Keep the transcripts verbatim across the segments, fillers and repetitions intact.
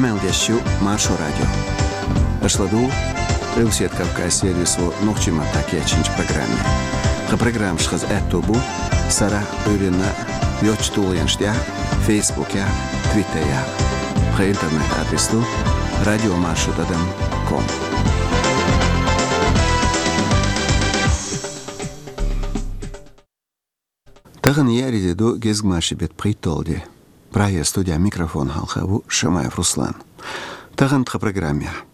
Къамел деш ю Маршо радио. Аша ладугӀу Къилбаседа Кавказан сервисо нохчийн маттахь кечйинчу программе. Тхан программаш хаза аьтто бу сарахь, Ӏуьйранна йоцчу тулгӀенаш тӀехь, Фейсбукехь, Твиттерехь. Тхан интернет-адрес ду радио маршо тӀадам ком. Тахана еарин де ду, гезгмашин беттан пхийтталгӀа де. Прагера студехь микрофон хьалха ву Шамаев Руслан. Тахана тхан программехь.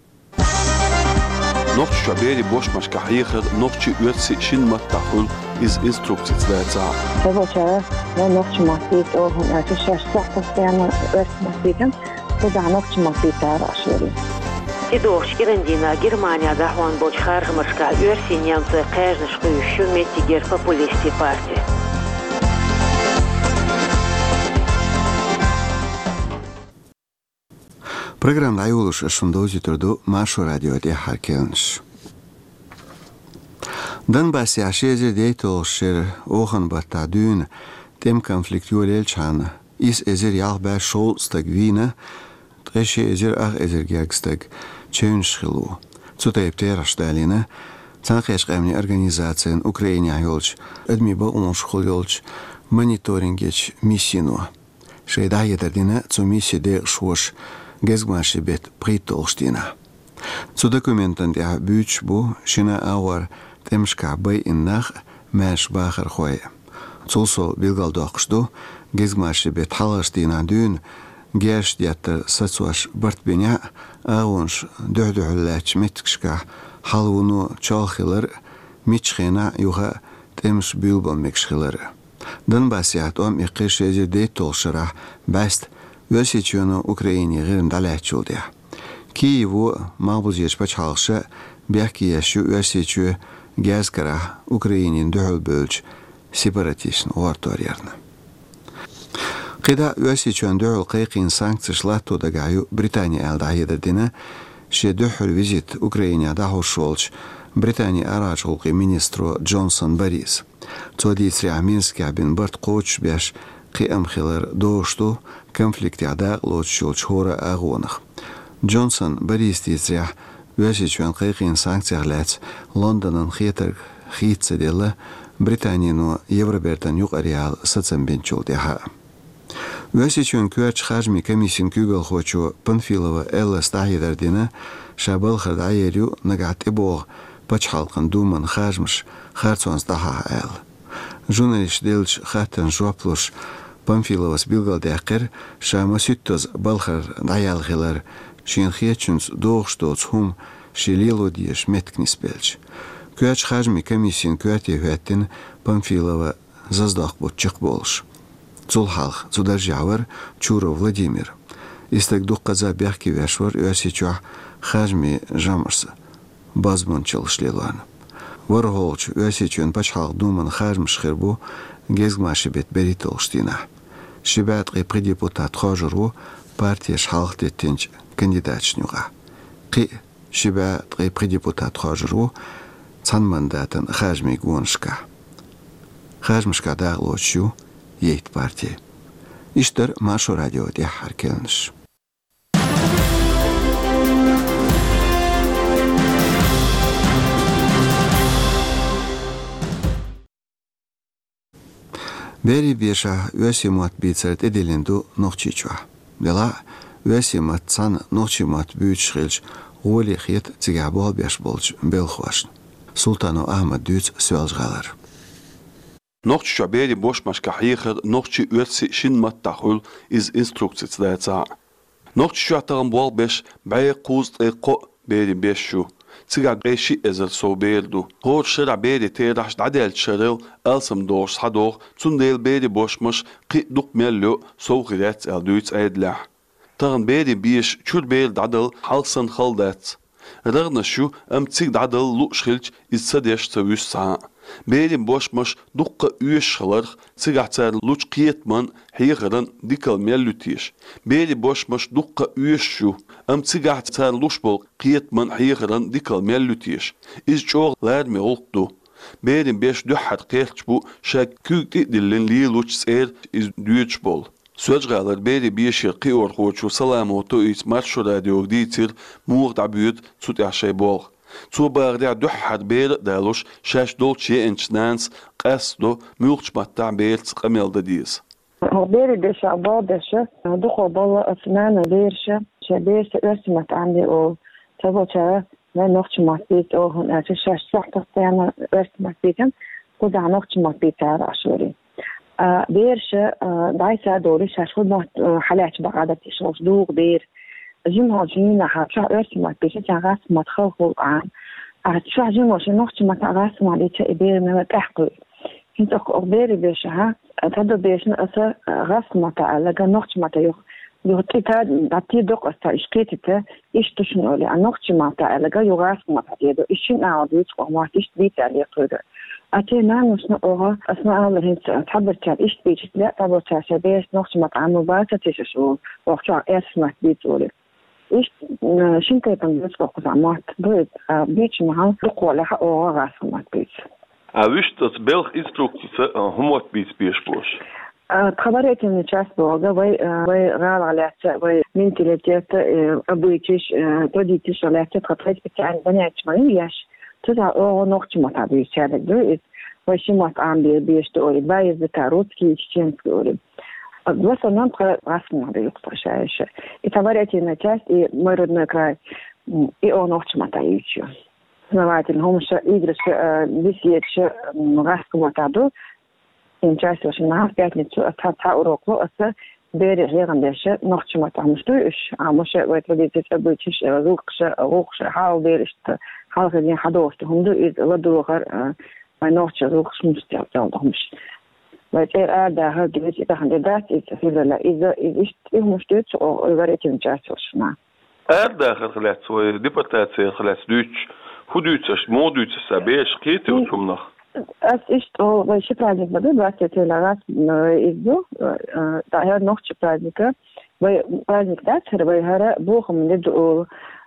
Нохчийчохь берийн бошмашкахь хьехар нохчийн, оьрсийн шина маттахь хуьлу, иза инструкцица дацахь. Хьевачара, вай нохчийн маттахь дийца оха хӀунда аьлча шаьш сохьпостоянно оьрсийн маттахь дийцина, кхузахь нохчийн маттахь дийцара аша верий. Ци дохуш кӀиран дийнахь Германехь дӀахьон болчу харжамашкахь оьрсийн, немцойн кхаьжнаш кхуьйсуш ю меттигера популистийн парти. Программа дӀайолош ас шуна довзуьйтур ду Маршо радион тӀаьххьара керланаш. Донбассехь ши эзар дейтталгӀачу шеран оханан баттахь дуьйна тӀеман конфликт йолаелчахьана, исс эзар ялх бӀе шовзткъа стаг вийна, ткъе ши эзар ах эзар гергга стаг чевнаш хилла ву. Цу тайпа терахьаш далийна Цхьаьнакхеттачу Къаьмнийн Организацин Украинехь йолчу адамийн бакъонашкахула йолчу мониторингерчу миссино. Шайн дӀахьедар дина цу миссин декъашхоша гезгмашин беттан пхийтталгӀачу дийнахь. Цу документан тӀехь буьйцуш бу шина а, агӀор тӀемашкахь байина нах а, маьрша бахархой а. Цул сов билгалдоккхуш ду, гезгмашин беттан хьалхарчу дийнахь дуьйна герзаш деттар сацош барт бинехь а, агӀонаш дуьхь-дуьхьал лаьттачу меттигашкахь хьалавуно чолх хилар а, миччахь хенахь а юха а тӀемаш буьйлабан мегаш хилар а. Донбассехь тӀом иккхира ши эзар дейтталгӀачу шарахь бӀаьста Оьрсийчоьно Украине гӀирма дӀалаьцначул тӀаьхьа. Киево а, малхбузерчу пачхьалкхаша а бехке еш ю Оьрсийчоь герзан карахь Украинина дуьхьал бевллачу сепаратисташна гӀортор ярна. КхидӀа а Оьрсийчоьнна дуьхьал кхайкхийна санкцеш латто дагахь ю Британи аьлла дӀахьедар дина шен дуьххьара визит Украинехь дӀахьош волчу Британин арахьарчу гӀуллакхийн министро Джонсон Бориса. Цо дийцарехь, Минскехь бина барт кхочушбеш кхиам хилар дозуш ду конфликтехь дакъалоцуш йолчу хӀора а агӀонах. Джонсон Бориса дийцарехь, Оьрсийчоьнна кхайкхийна санкцех лаьцна Лондонан хетарг хийца ца делла, Британино Евробертан юкъараяла сацам бинчул тӀаьхьа. Оьрсийчоьнан коьртачу харжамийн комиссин куьйгалхочо Панфилова Эллас дӀахьедар дина, ша балхара дӀаер ю нагахь тӀебогӀу пачхьалкхан думан харжамаш харцонца дӀахьахьа аьлла. Журналисташа деллачу хаттарна жоп луш, Панфиловас билгалдаьккхира, ша масийттаза балхара дӀаяьлла хилар, шена хетачуьнца догӀуш доцу хӀума шен лело дезачу меттигна нисбелча. Коьртачу харжамийн комиссин коьрте хӀоьттина Панфилова заздоккху бутт чекхболуш. Цул хьалха цу даржехь вара Чуров Владимир. И стаг дуккхаза бехке веш вара Оьрсийчохь харжамийн жамӀашца бозбуунчаллаш лелорна. ВорхӀалгӀачу Оьрсийчоьнан Пачхьалкхан Думан харжамаш хир бу гезгмашин беттан берхӀитталгӀачу дийнахь. Ши бӀе ткъе пхи депутат хоржур ву партеша хьалха теттинчу кандидаташна юкъахь. Кхин а ши бӀе ткъе пхи депутат хоржур ву цхьана мандатан харжамийн гонашкахь. Харжамашкахь дакъалоцуш ю ейтта парти. Иштта дара Маршо радион тӀаьххьара керланаш. Берийн бешахь оьрсийн мотт бийцар тӀедиллина ду Нохчийчохь. Делахь а, оьрсийн маттаца цхьаьна нохчийн мотт буьйцуш хилча, гӀоли хета цигахь болх беш болчу белхахошна. Султанов Ахьмада дуьйцу Соьлжа-ГӀалара. Нохчийчохь берийн бошмашкахь хьехар нохчийн, оьрсийн шина маттахь хуьлу, иза инструкцица дацахь а. Нохчийчохь тахана болх беш бӀе кхузткъе кхоъ берийн беш ю. Цигахь ткъе шиъ эзар сов бер ду. ХӀора шарахь берийн терахьаш дӀадаьллачу шарел алсамдохуш схьадогӀу, цундела берийн бошмаш кхин а дукха мел йо сов хир яц аьлла дуьйцу Ӏедалехь. Тахана берийн беша чуьра бер дӀадала хьалха санна хала дац. РагӀнаш ю, амма цига дӀадала лууш хилча, иза ца деш ца вуьсу цхьа а. Берийн бошмаш дуккха а оьшуш хиларх, цигахь царна лучу кхетаман, хьехаран дикалла мел ю теша. Берийн бошмаш дуккха а оьшуш ю, амма цигахь царна луш болу кхетаман, хьехаран дикалла мел ю теша. Иза чӀогӀа лараме гӀуллакх ду. Берийн беш дуьххьара кхерч бу ша куьйга тӀе а диллина лелочу цӀера иза доьдуш болу. Соьлжа-ГӀалара берийн бешера кхиорхочо Саламова Тоитас Маршо радиога дийцира, муха дӀабоьду цу тӀехь шайн болх. Цо бахарехь, дуьххьара бер а далош, шаьш долчу еанчу нанас къастадо, муьлххачу маттахь бераца къамел дан деза. Берийн бешахь болх беш, дукхах болу оцу нанна бераш, шайн берашца оьрсийн маттахь Ӏамаде олу. Цхьаболчара вайн нохчийн мотт бийца олу, хӀунда аьлча шаьш чохь постоянно оьрсийн мотт бийцина, кхузахь нохчийн мотт бийцара аш вари. А бераш, а, дӀасадолуш, шаьш хӀун мотт, а, хьалаьцча бакъ дара тешалуш дугӀу бер. Жимахочун нахана чохь оьрсийн мотт бийцича, гӀазкхийн мотт хала хуьлу Ӏама. А чохь жимахочун нохчийн маттахь гӀазкхийн мотт бийца и бер мела тӀаьхьа кхуьу. ХӀинца оха, оха берийн бешахь, а, тхьадо бешна аса, а, гӀазкхийн маттахь аьлла, ган нохчийн маттахь юха, юха тӀе та, дӀатийр доккху аса, ца иш кхетийта, иштта шуна олий, а нохчийн маттахь аьлла, ган юха гӀазкхийн маттахь тӀедо, иш шина агӀор дуьйцу оха мотт, иштта бийца аьлла кхуьйга. А церан наношна оха, аса ма аллара, хӀинца цхьаберчара иштта бийцича лаьа, цхьаболчара шайн берашца нохчийн маттахь Ӏамор бац ца тешаш олу, оха чохь оьрсийн мотт бийца олий. Иштта, м, шина тайпана бийца оха кхузахь мотт, ду иза, а, бийцина хьал дукхахволехь оха гӀазкхийн мотт бийца. А вуьшта оцу белхан инструкцица, а, хӀун мотт бийца безаш бу аш? А, тхьаберийн часть боху, вай, а, вай гӀалах лаьцна, вай менталитет, э, обычайш, э, традицеш лаьцна тхан тхайн специальни занятеш ма ю еш. Цу тӀехь оха нохчийн маттахь бийца дерг ду иза. Вай ши мотт Ӏамабе безаш ду олий, два языка, русский и чеченский олий. А в основном тхан гӀазкхийн мотт ду юкъа ша еш. И тхьаберийн часть, и мой родной край, м, и оха нохчийн маттахь юьйцуш ю. Познавательни хӀумнаш, играш, э, беседаш, м, гӀазкхийн маттахь ду. Ин часть ваша нах пятницу аса цхьа урок ло аса, берийн хьехам беш нохчийн маттахь, хӀумнаш дуй уьш, а хӀумнаш вай традицеш, обычайш, э, гӀуллакхаш, гӀуллакхаш, хьалха бераш, хьалха дийна хьадогӀуш ду хӀума ду иза, ладогӀар, э, вай нохчийн гӀуллакхаш, хӀумнаш тӀехь долу хӀумнаш. Вай цӀера арадахар дуьйцу, и тахана де дац иза, февраля, иза, иза иштта и хӀумнаш дуьйцу оха, и варитин часть ваша нах. Арадахарх лаьцна вай, депортацих лаьцна дуьйцуш, хӀун дуьйцу аш, муха дуьйцу аса, бераш кхетий оцу хӀуманах? Ас иштта олу, вай ши праздник ма ду, двадцать третьего, э, иза ду, э, э, да, хӀара нохчийн праздник. Вай праздник дац хӀара, вай хӀара бохаман де ду олу.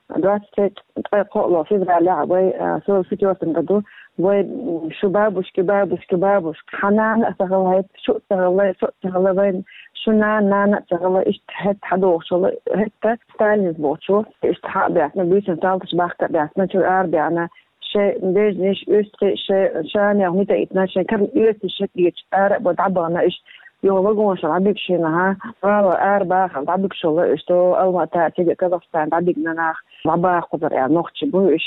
Двадцать третьего, ткъе кхоалгӀа февралехь вай, э, сорок четвёртом году, вай, м, шу бабушки, бабушки, бабушки. Хьан нана а ца хилла, хӀетта шу а ца хилла, со а ца хилла, вайн шу нана, нана а ца хилла, иштта хӀетта хьадогӀуш хилла, хӀетта Сталинца бохучо, иштта хьа а баьхна, буьйсанна салташ бахка а баьхна, чуьра ара а баьхна, шайн бежнаш, уьстагӀий, шайн шамех хӀума тӀе а йитина, шайн карна оьцуш шайн кхечу ара а бо дӀабахана, иштта юха вагонашкахь дӀабигаш хилла, гӀала ара бахар дӀабигаш хилла, иштта Алмата, цига Казахстан дӀабигна нах, дӀабаха кхузара аьлла нохчий бу уьш,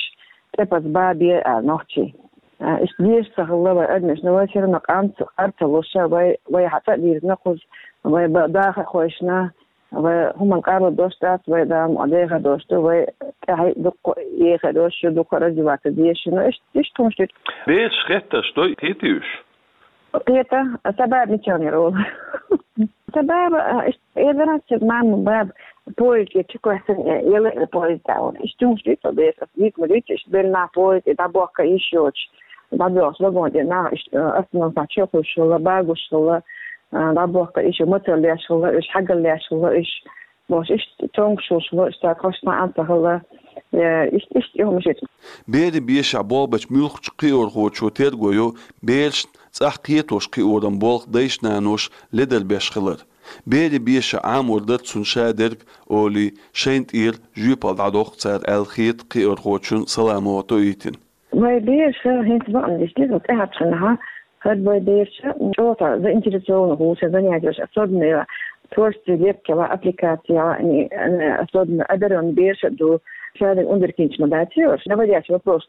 тӀепаза бабе аьлла нохчий. А, иштта дезаш ца хилла вай адамаш, но вай все равно къам ца, къар ца луш, вай, вай хьан цӀа а дирзина кхуза, вай ба-, даха а хойшна, вай хӀуманна къарла дош дац, вай Дала мукъ дехар дош ду, вай тӀаьхьа дуккха а ехар дош ю, дуккха а раздеваться дезаш ю, но иштта, иштта хӀумнаш ду. Бераш хеттарш дуй, кхетий уьш? Кхета, сан баба мичахь яра олу. Сан баба, а, иштта, э, вероятно, мама, баба, поезде чу кхоьссина, э, яла, э, поезда олу. Иштта хӀумнаш дуьйцу бераш, ас дийца ма дуьйцу, иштта белла нах поезде дӀабохка йиш йоцуш, дӀабоьлхуш вагон тӀе нах, иштта, э, остановкехь чу а хуьлуш хилла, багош хилла, э, дӀабохка йиш йо-, мацалла леш хилла, уьш хьагал леш хилла, уьш, бохуш, иштта цомгуш хилла, иштта кхошна а ца хилла, э, иштта, иштта и хӀумнаш ю. Берийн бешахь болх бечу муьлххачу кхиорхочо терго йо берашна цӀахь кхетош кхиоран болх дайша-наноша ледара беш хилар. Берийн бешахь Ӏамор дара цунна шадерг олий, шайна тӀера жоьпалла дӀадоккху цара аьлла хета кхиорхочун Саламова Тоитина. Вай бераш хӀинца бакъ ма деш деза, тӀаьхьарчу хенахь хӀара вай бераш чӀогӀа заинтересованных ву шайн занятеш, особенно творческий лепкаш, аппликацеш, особенно одарённый бераш а ду, шадерг ундаркинчу ма дац, говорящий вопрос,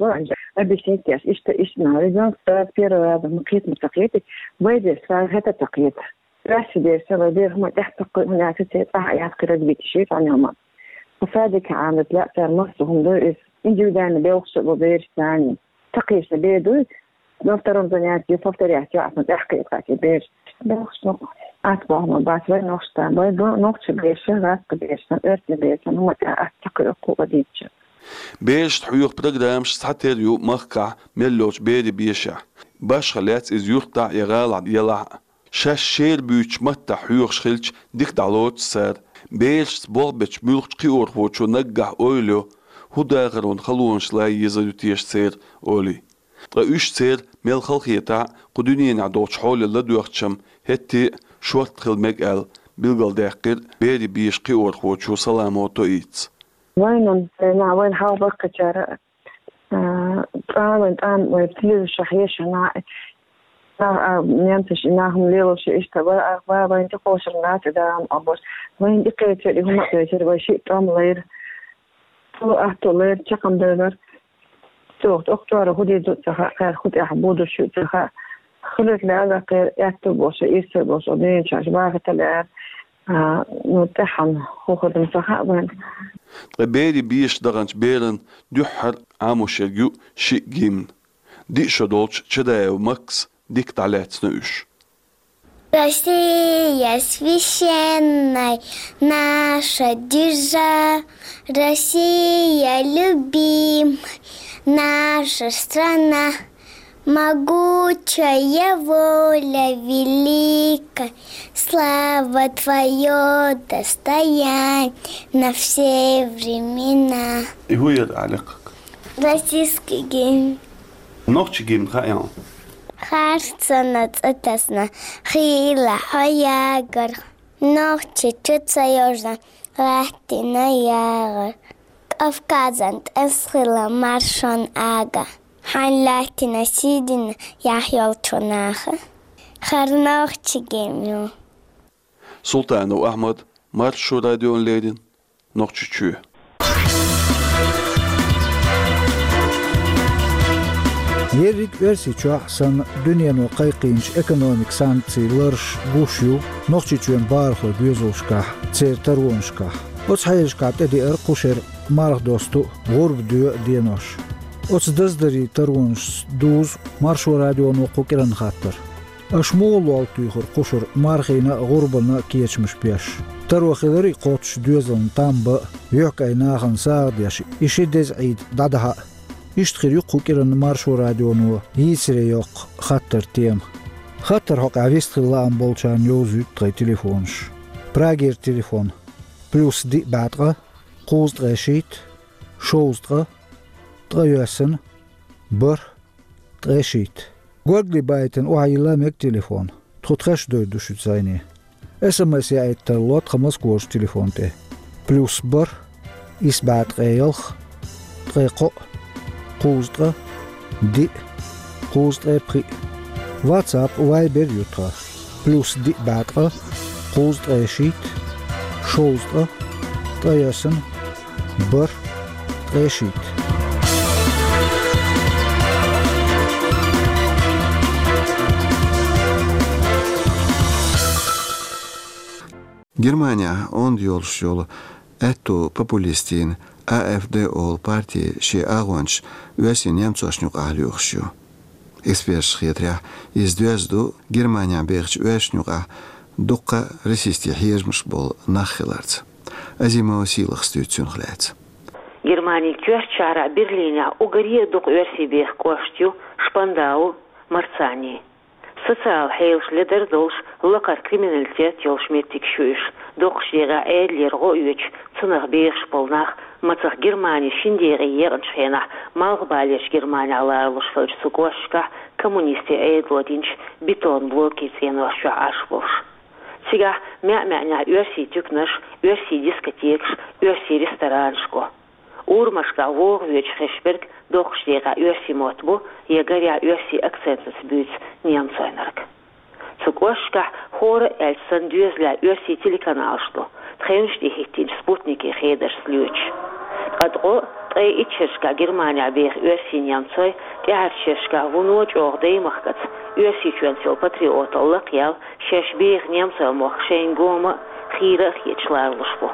объяснить деш, иштта, иштта, ребёнок сразу первый раз ма кхета, ма ца кхетий, вай бераш сразу хӀета ца кхета. Ваьшша дерш вай бер хӀума тӀехь ца кхуьу, хӀунда аьлча церан цӀахь а яц кхин разбитый ши цхьа ньома. Кху садике Ӏамадале а цара массо хӀума ду иза. Индивидуально белхаш а бу бераш царна. Ца кхеташ бер дуй, на втором занятии повторять йо, аса тӀехь кхета кхачий бераш. Белхаш ду. Аса боху ма бац вай нохчашца, вай бу нохчийн бераш, гӀазкхийн бераш, оьрсийн бераш, хӀума тӀехь аса ца кхуьу кху а дийцча. Берашна хьоьху программаш цхьатера ю махкахь мел йолчу берийн бешахь. Башха лаьцна иза юьртахь а я гӀалахь а елахь а. Шаьш шера буьйцучу маттахь хьоьхуш хилча, дика дӀалоцу цара. Берашца болх бечу муьлххачу кхиорхочо наггахь ойла йо, хӀун дахаран халонаш лай езар ю теша церан олий. Ткъа уьш церан мел халахетахь а, кху дуьненахь долчу хьоле ладоьгӀча-м, хӀетте а шортта хила мега аьлла, Билгалдаьккхира берийн бешан кхиорхочо Саламо Тоитас. Вайна, вайна, вайна хьалха баккхачара, а, тӀам, вайн тӀам, вай телевизор хьешана, а, а, немцаш и нахана лелаш иштта ба, а, ба, вайн тӀе кхошар наци даам а бос. Вайн тӀе кхечар, и хӀума кхечар, вай шиъ тӀом лайра. Цо атто лайра чакхам дайнар. Цо охтора хӀу дийду ца хаьа, кхаьр хӀу тӀехь будуш ю ца хаьа. Хилар лаьла кхер аьтту боша, ирсар боша, дийначаш бахита лаьра. А, ну, тӀехьан хӀу хадам ца хаьа вайн. Ткъа берийн бешан даханчу беран дуьххьара Ӏамош ерг ю шиъ гимн. Диъ шо долчу Чадаева Макса дика дӀалаьцна уьш. Россия священная, наша держава, Россия любимая, наша страна, могучая воля великая, слава твоё достояние на все времена. И хӀу яра Ӏаликъ? Российский гимн. Нохчийн гимн хаьа хьуна? Харцонан цӀа тесна, хийла хьо ягар. Нохчийчу ца йожна, лаьттина ягар. Кавказан тӀе хила маршонан ага. Хьайн лаьттина сий дина яхь йолчу наха. Хар нохчийн гимн ю. Султанов Ахьмад, Маршо радиона леррина, Нохчийчоь. Ерриг Оьрсийчохь санна дуьнено кхайкхийначу экономикан санкцийн ларш гуш ю Нохчийчоьнан бахархойн доьзалшкахь, церан таронашкахь. Оцу хьелашкахь тӀедеара кху шеран марха досту а, гӀурба доьу а денош. Оцу даздарийн таронашца дузу Маршо радионо кху кӀиранна хаттар. Аша муха лол туьйхира кху шарахь мархина а, гӀурбанна а кечамаш беш? Таро хиларий кхоччуш доьзална там бан а, юьхькӀайн нахана сагӀа деш, и ши деза Ӏийда дӀадахьа а? Иштта хир ю кху кӀиранна Маршо радионо йийцаре йоккху хаттаран тема. Хаттар хьокъехь вистхила лаам болчарна йовзуьйту тхайн телефонаш. Прагера телефон: плюс диъ бӀе ткъа, кхузткъе шийтта, шовзткъа, ткъайоьсна, бархӀ, ткъе шийтта. Горгали байтина охьайилла мега телефон. Тхо тхаьш а довр ду шуьца зӀене. СМС яийта тарло тхан Москварчу телефон тӀе. Плюс бархӀ, исс бӀе ткъе ялх, ткъе кхоъ, кхузткъа, диъ, кхузткъе пхиъ. WhatsApp, Viber ю тхан. Плюс диъ бӀе ткъа, кхузткъе шийтта, шовзткъа, ткъайоьсна, бархӀ, ткъе шийтта. Германехь онда йолуш йолу аьтту популистийн А Ф Д олу парти шен агӀончаш оьрсийн немцошна юкъахь лоьхуш ю. Эксперташна хетарехь, иза доьзна ду Германехь бехачу оьрсашна юкъахь дуккха а расистийн хьежамаш болу нах хиларца. Азимова Сийлахас дуьйцу цунах лаьцна. Германин коьртачу шахьарахь Берлинехь уггаре а дукха оьрсий беха кӀошт ю Шпандау, Марцани. Социалан хьелаш ледар долуш, лакхара криминалитет йолуш меттигаш ю уьш. Доккхачу декъехь Ӏедалера гӀо оьцуш, цунах бехаш болу нах, мацах Германи шина декъе екъначу хенахь Малхбалерчу Германехь ларалуш хиллачу цу кӀошташкахь коммунистийн Ӏедало динчу бетон блокийн цӀенош чохь Ӏаш болуш. Цигахь маьӀ-маьӀнехь оьрсийн туьканаш, оьрсийн дискотекаш, оьрсийн ресторанаш го. Урамашкахь вогӀу воьдуш хезаш берг доккхачу декъехь оьрсийн мотт бу, я гарехь оьрсийн акцентаца буьйцу немцойнарг. Цу кӀошташкахь хӀора а аьлча санна доьзалехь оьрсийн телеканалаш ду, тхевнаш тӀе хӀиттийначу спутникийн хедаршца лоьцуш. Ткъа ткъо, ткъе итт шерашкахь Германехь беха оьрсийн немцой тӀаьхьарчу шерашкахь вуно чӀогӀа даймахкаца, Оьрсийчоьнца йолу патриоталла лакхаяьлла, шаьш беха немцойн мохк шайна гома а, хийра а хеташ ларалуш бу.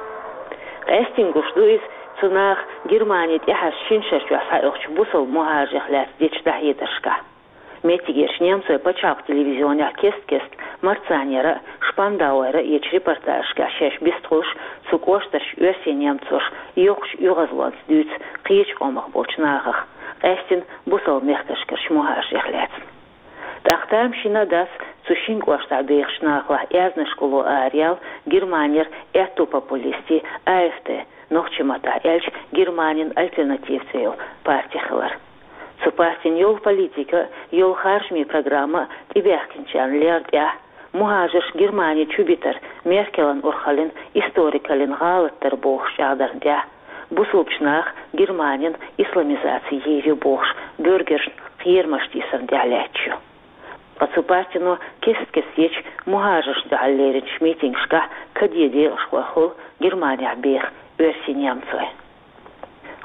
Къаьстина гуш ду иза цу наха Германи тӀаьхьарчу шина шарчохь схьаоьхучу бусалба мухӀажирех лаьцна дечу дӀахьедаршкахь. Меттигерчу немцойн пачхьалкхан телевизионехь кест-кеста Марцанера а, Шпандауера а ечу репортажашкахь шаьш бистхуьлуш, цу кӀоштарчу оьрсийн немцоша йоккхачу оьгӀазлонца дуьйцу кхечу къомах болчу нахах, къаьстина бусалба мехкашкарчу мухӀажирех лаьцна. ТӀаккха тамашийна а дац цу шина кӀоштахь бехачу нахалахь аьзнашкахула араяьлла Германера аьтту популистийн А Ф Д, нохчийн маттахь аьлча, Германин альтернатива цӀе йолу парти хилар. Цу партин йолу политика а, йолу харжамийн программа а тӀебаьхкинчарна лерра тӀехь, МухӀажарш Германе чубитар Меркелан урхаллин, историкаллин гӀалатдар бохуш чӀагӀдарна тӀехь, бусулбачу наха Германин исламизаци йийр ю бохуш, буьргершна кхерамаш тийсарна тӀехь лаьтташ ю. Ткъа цу партино кест-кеста ечу мухӀажаршна дуьхьал леринчу митингашкахь каде декъашхой хуьлу Германехь беха оьрсийн немцой.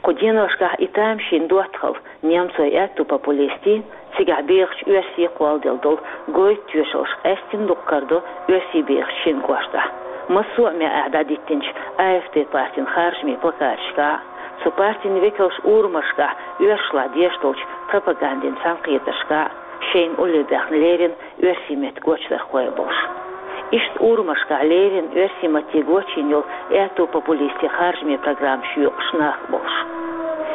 Кху деношкахь и тамашийна доттагӀалла немцой аьтту популистийн, цигахь бехачу оьрсийн кхолладелла долу гойту тоьшаллаш къаьстина дукха карадо оьрсийн бехачу шина кӀоштахь. Массо а маьӀӀехь дӀадиттинчу А Ф Д партин харжамийн плакаташкахь, цу партин векалша урамашкахь оьрсашлахь деш долчу пропагандин цхьаьнакхетаршкахь шайна улле баьхна лерина оьрсийн меттан гочдархой а болуш. Иштта урамашкахь лерина оьрсийн матте гочйина йолу аьтту популистийн харжамийн программаш йоькъуш нах а болуш.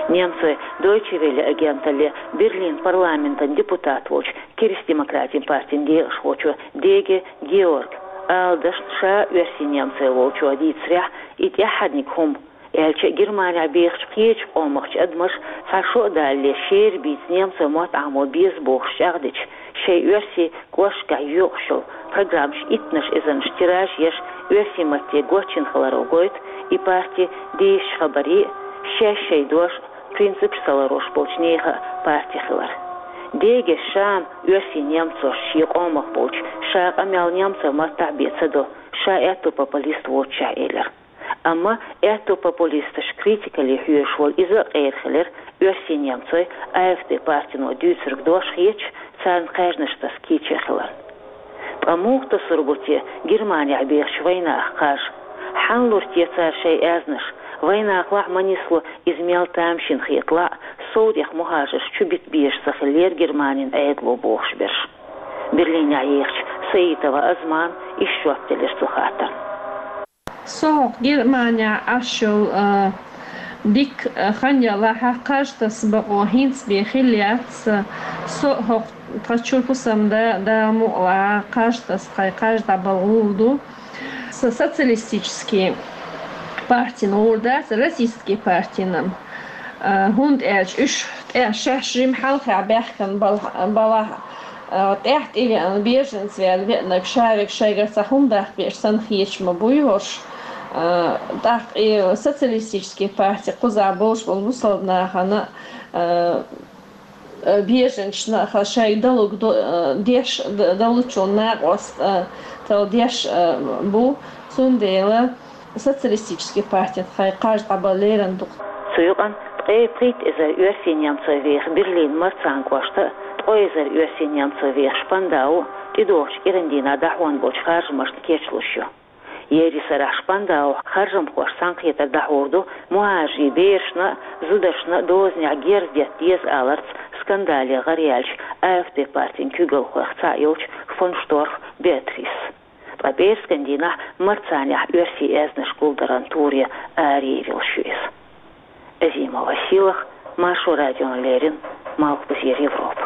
Немцой Дойче Велле агенталле Берлин парламентан депутат волчу Кристдемократийн партин декъашхочо Деге Георга, ала дашна, ша оьрсийн немцой волчо дийцарехь, и тӀаьххьарниг хӀума, аьлча а, Германехь бехачу кхечу къомах адамаш цхьа шо а далале шера бийца немцой мотт Ӏамо беза бохуш чӀагӀдича, шайн оьрсийн кӀошташкахь йоькъуш йолу программаш иттанаш эзарнаш тираж еш, оьрсийн матте гочйина хиларо гойту и парти дийшачу хабарийн а, шаьш шайн дош а, принципаш ца ларош болчу нехан а парти хилар. Деге ша-м оьрсийн немцошна шен къомах болчу ша къамел немцой маттахь бен ца до, ша аьтту популист воццушехь, элира. Амма аьтту популисташ критикалле хьоьжуш волу иза а къера хилира оьрсийн немцой А Ф Д партино дуьйцург дош хеташ, царна кхаьжнаш таса кийча хиларна. Ткъа муха тасур бу те Германехь бехачу вайнаха кхаж? Хьанна лур те цара шайн аьзнаш? Вайнахалахь ма нисло иза, мел тамашийна хеталахь а, сов тӀех мухӀажарш чубита безаш ца хиллера Германин Ӏедало бохуш берш. Берлинехь ехачу Саитова Азмана иштта жоп делира цу хаттарна. Со хӀокху Германехь Ӏаш йолу, а, дика, а, хан ялахь а, кхаж таса бакъо хӀинца бен хилла яц. Со хӀокху тхан чуьра хӀусамда, Дала мукъалахь, кхаж таса тхайн кхаж дӀабала гӀур ду. Со социалистический партина гӀур дац, российский партина. А, хӀунда аьлча уьш тӀе шаьш жима хьалхехь баьхкина бала-, балахь, а, тӀаьхьа тӀевеана, беженец ваьлла веанарг ша верг шайгара цхьа хӀума даккха веъча санна хеташ ма буй хӀорш. А, тӀаккха и социалистический парти кхузахь болуш болу бусалба нахана, а, а, беженцашна шайга далург до-, а, деш, д-, далучун накъосталла деш, а, бу. Цундела социалистический партина тхайн кхаж дӀабала лерина ду. Цу юкъана ткъе пхийтта эзар оьрсийн немцой веха Берлин марцан кӀошта а, ткъо эзар оьрсийн немцой веха Шпандау а тӀедогӀучу кӀиран дийнахь дӀахьон болчу харжамашна кечлуш ю. Ерриг сарахь Шпандаухь харжамхошца цхьаьнакхетар дӀахьур ду мухӀажарийн берашна а, зударшна а дозанехь герз детта деза аларца скандале гӀараяьллачу А Ф Д партин куьйгалхойх цхьаъ йолчу фон Шторх Беатрисца. Ткъа пӀераскан дийнахь марцанехь оьрсийн аьзнаш гулдаран туре араяьллаш ю иза. Азимова Сийлаха, Маршо радиона леррина, Малхбузера Европа.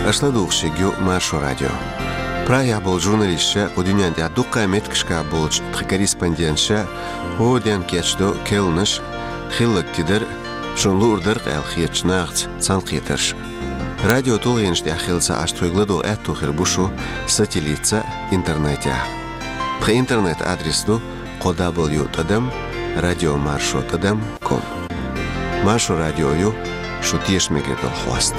Аша ладугӀуш ерг ю Маршо радио. Прагехь болчу журналисташа, кху дуьнен тӀехь дуккха а меттигашкахь болчу тхан корреспонденташа гӀо а дина кечдо керланаш, хилларг тидар, шуна луург дар-кх аьлла хетачу нахаца цхьаьнакхетарш. Радио тулгӀенаш тӀехь хилла ца Ӏаш тхоьга ладогӀа аьтто хир бу шун сателлитца а, интернетехь а. Тхан интернет-адрес ду кхо дабл ю тӀадам радио маршо тӀадам ком. Маршо радио ю шун тешам мегар долу хьоста.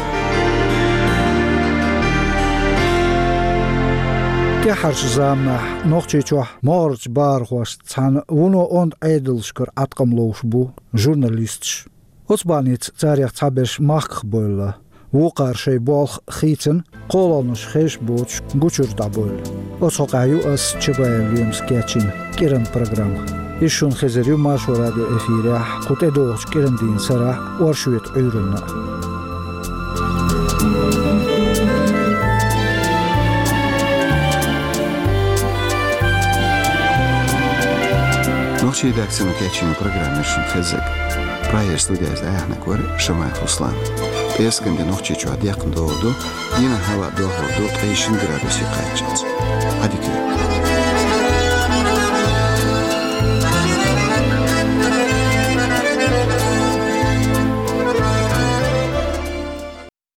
ТӀаьххьарчу заманахь Нохчийчохь могӀарерчу бахархошца цхьаьна вуно онда Ӏедалшкара Ӏаткъам ловш бу журналисташ. Оцу бахьаница царех цхьаберш махках бевлла, вукхара шайн болх хийцина, кхоалгӀанаш хезаш боцуш гучуьра дӀабевлла. Оцу хьокъехь ю ас Чабаев Лемас кечйина кӀиран программа. Иза шуна хезар ю Маршо радион эфирехь кху тӀедогӀучу кӀиран дийнан сарахь а, оршотан Ӏуьйранна а. Нохчийн редакцино кечйина программа яра шуна хезарг. Прагера студехь иза дӀаяьхьнарг вара Шамаев Руслан. ПӀераскан де Нохчийчохь декхна догӀур ду, дийнахь хӀаваъ дохлур ду ткъе шина градусе кхаччалц. Ӏадика йойла.